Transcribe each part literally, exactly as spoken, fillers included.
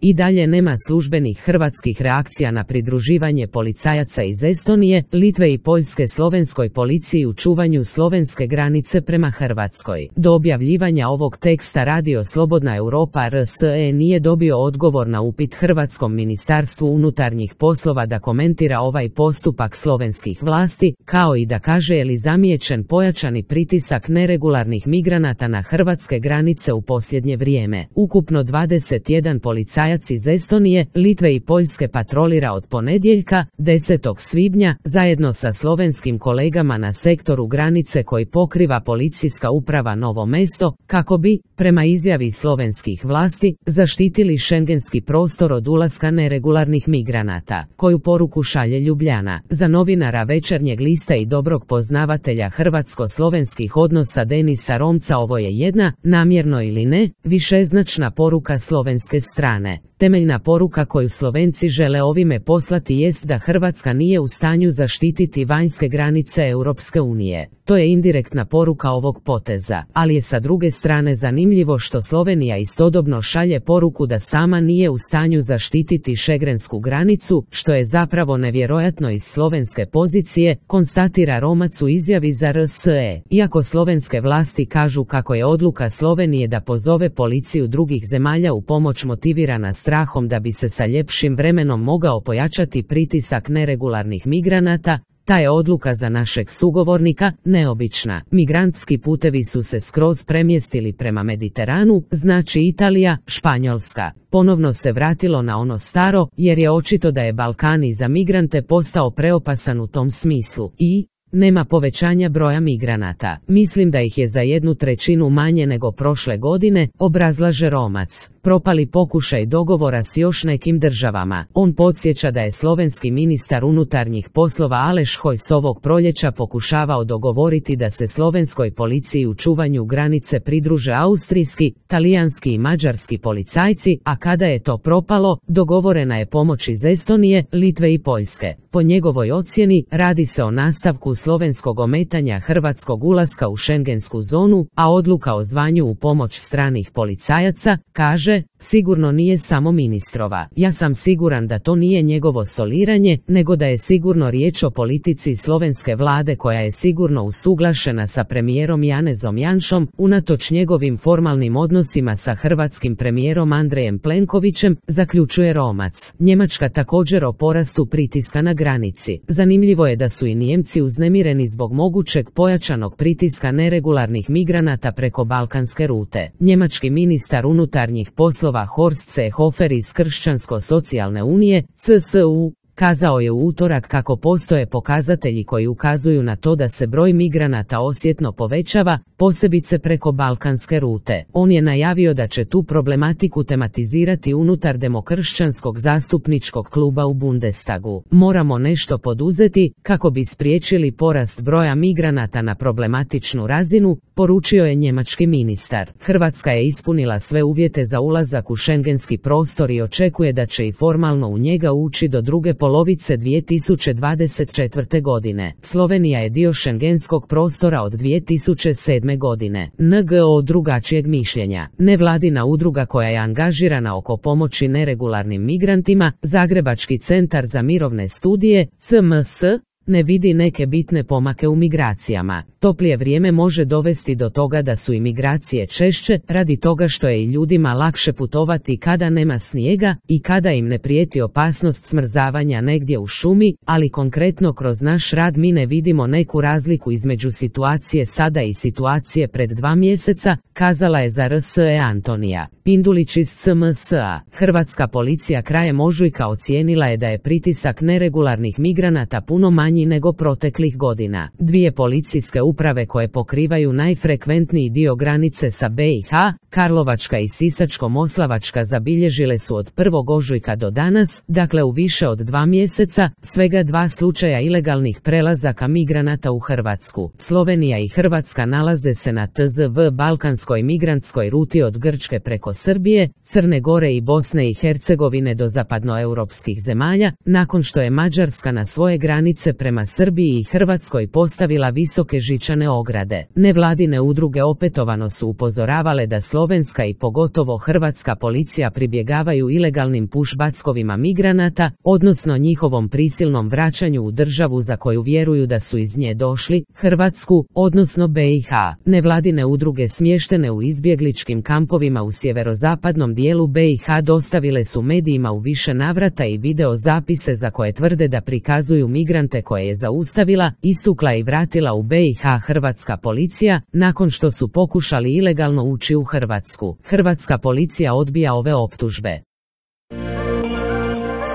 I dalje nema službenih hrvatskih reakcija na pridruživanje policajaca iz Estonije, Litve i Poljske slovenskoj policiji u čuvanju slovenske granice prema Hrvatskoj. Do objavljivanja ovog teksta Radio Slobodna Europa R S E nije dobio odgovor na upit Hrvatskom ministarstvu unutarnjih poslova da komentira ovaj postupak slovenskih vlasti, kao i da kaže je li zamijećen pojačani pritisak neregularnih migranata na hrvatske granice u posljednje vrijeme. Ukupno dvadeset jedan policajac iz Estonije, Litve i Poljske patrolira od ponedjeljka, desetog svibnja, zajedno sa slovenskim kolegama na sektoru granice koji pokriva policijska uprava Novo Mesto, kako bi, prema izjavi slovenskih vlasti, zaštitili šengenski prostor od ulaska neregularnih migranata. Koju poruku šalje Ljubljana? Za novinara Večernjeg lista i dobrog poznavatelja hrvatsko-slovenskih odnosa Denisa Romca ovo je jedna, namjerno ili ne, višeznačna poruka slovenske strane. Temeljna poruka koju Slovenci žele ovime poslati jest da Hrvatska nije u stanju zaštititi vanjske granice Europske unije. To je indirektna poruka ovog poteza, ali je sa druge strane zanimljivo što Slovenija istodobno šalje poruku da sama nije u stanju zaštititi šengrensku granicu, što je zapravo nevjerojatno iz slovenske pozicije, konstatira Romac u izjavi za R S E. Iako slovenske vlasti kažu kako je odluka Slovenije da pozove policiju drugih zemalja u pomoć motivirana strahom da bi se sa ljepšim vremenom mogao pojačati pritisak neregularnih migranata, ta je odluka za našeg sugovornika neobična. Migrantski putevi su se skroz premjestili prema Mediteranu, znači Italija, Španjolska. Ponovno se vratilo na ono staro, jer je očito da je Balkan i za migrante postao preopasan u tom smislu. I nema povećanja broja migranata. Mislim da ih je za jednu trećinu manje nego prošle godine, obrazlaže Romac. Propali pokušaj dogovora s još nekim državama. On podsjeća da je slovenski ministar unutarnjih poslova Aleš Hojs ovog proljeća pokušavao dogovoriti da se slovenskoj policiji u čuvanju granice pridruže austrijski, talijanski i mađarski policajci, a kada je to propalo, dogovorena je pomoć iz Estonije, Litve i Poljske. Po njegovoj ocjeni, radi se o nastavku slovenskog ometanja hrvatskog ulaska u šengensku zonu, a odluka o zvanju u pomoć stranih policajaca, kaže, sigurno nije samo ministrova. Ja sam siguran da to nije njegovo soliranje, nego da je sigurno riječ o politici slovenske vlade koja je sigurno usuglašena sa premijerom Janezom Janšom, unatoč njegovim formalnim odnosima sa hrvatskim premijerom Andrejem Plenkovićem, zaključuje Romac. Njemačka također o porastu pritiska na granici. Zanimljivo je da su i Nijemci uznemireni zbog mogućeg pojačanog pritiska neregularnih migranata preko balkanske rute. Njemački ministar unutarnjih poslova Horst Seehofer iz Kršćansko-socijalne unije, C S U, kazao je u utorak kako postoje pokazatelji koji ukazuju na to da se broj migranata osjetno povećava, posebice preko balkanske rute. On je najavio da će tu problematiku tematizirati unutar demokršćanskog zastupničkog kluba u Bundestagu. Moramo nešto poduzeti kako bi spriječili porast broja migranata na problematičnu razinu, poručio je njemački ministar. Hrvatska je ispunila sve uvjete za ulazak u šengenski prostor i očekuje da će i formalno u njega ući do druge polovice dvije tisuće dvadeset četvrte. godine. Slovenija je dio šengenskog prostora od dvije tisuće sedme. godine. N G O drugačijeg mišljenja. Nevladina udruga koja je angažirana oko pomoći neregularnim migrantima, Zagrebački centar za mirovne studije, C M S, ne vidi neke bitne pomake u migracijama. Toplije vrijeme može dovesti do toga da su imigracije češće, radi toga što je i ljudima lakše putovati kada nema snijega i kada im ne prijeti opasnost smrzavanja negdje u šumi, ali konkretno kroz naš rad mi ne vidimo neku razliku između situacije sada i situacije pred dva mjeseca, kazala je za R S E Antonija Pindulić iz C M S A. Hrvatska policija krajem ožujka ocijenila je da je pritisak neregularnih migranata puno manji nego proteklih godina. Dvije policijske uprave koje pokrivaju najfrekventniji dio granice sa B i H, Karlovačka i Sisačko-moslavačka, zabilježile su od prvog ožujka do danas, dakle u više od dva mjeseca, svega dva slučaja ilegalnih prelazaka migranata u Hrvatsku. Slovenija i Hrvatska nalaze se na T Z V balkanskoj migrantskoj ruti od Grčke preko Srbije, Crne Gore i Bosne i Hercegovine do zapadnoeuropskih zemalja, nakon što je Mađarska na svoje granice prema prema Srbiji i Hrvatskoj postavila visoke žičane ograde. Nevladine udruge opetovano su upozoravale da slovenska i pogotovo hrvatska policija pribjegavaju ilegalnim pušbackovima migranata, odnosno njihovom prisilnom vraćanju u državu za koju vjeruju da su iz nje došli, Hrvatsku, odnosno B i H. Nevladine udruge smještene u izbjegličkim kampovima u sjeverozapadnom dijelu B i H dostavile su medijima u više navrata i video zapise za koje tvrde da prikazuju migrante koje je zaustavila, istukla i vratila u B i H hrvatska policija, nakon što su pokušali ilegalno ući u Hrvatsku. Hrvatska policija odbija ove optužbe.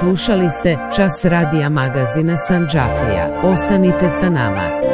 Slušali ste Čas radija magazina Sandžaklija. Ostanite sa nama.